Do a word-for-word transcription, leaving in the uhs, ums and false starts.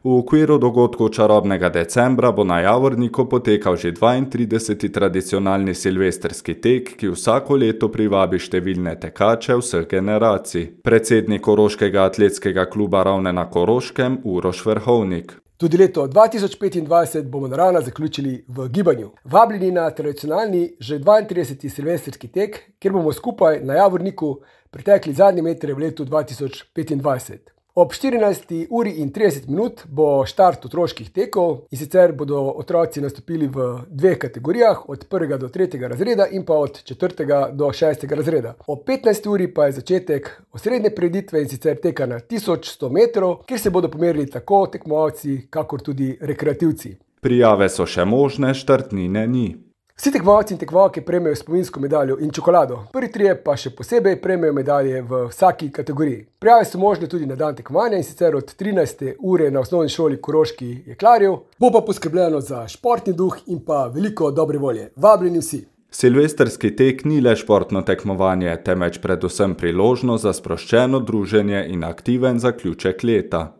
V okviru dogodkov čarobnega decembra bo na Javorniku potekal že dvaintrideseti tradicionalni silvestrski tek, ki vsako leto privabi številne tekače vseh generacij. Predsednik Koroškega atletskega kluba Ravne na Koroškem Uroš Verhovnik. Tudi leto dva tisoč petindvajset bomo naravno zaključili v gibanju. Vabljeni na tradicionalni že dvaintrideseti silvestrski tek, kjer bomo skupaj na Javorniku pretekli zadnje metre v letu dva tisoč petindvajset. Ob štirinajsti uri in trideset minut bo štart otroških tekov, in sicer bodo otroci nastopili v dveh kategorijah, od prvega do tretjega razreda in pa od četrtega do šestega razreda. Ob petnajsti uri pa je začetek osrednje prireditve, in sicer teka na tisoč sto metrov, kjer se bodo pomerili tako tekmovalci, kakor tudi rekreativci. Prijave so še možne, štartnine ni. Vsi tekmovalci in tekmovalke prejmejo spominsko medaljo in čokolado. Prvi trije pa še posebej prejmejo medalje v vsaki kategoriji. Prijave so možne tudi na dan tekmovanja, in sicer od trinajste ure na osnovni šoli Koroški Jeklarjev. Bo pa poskrbljeno za športni duh in pa veliko dobre volje. Vabljeni vsi! Silvestrski tek ni le športno tekmovanje, temveč predvsem priložnost za sproščeno druženje in aktiven zaključek leta.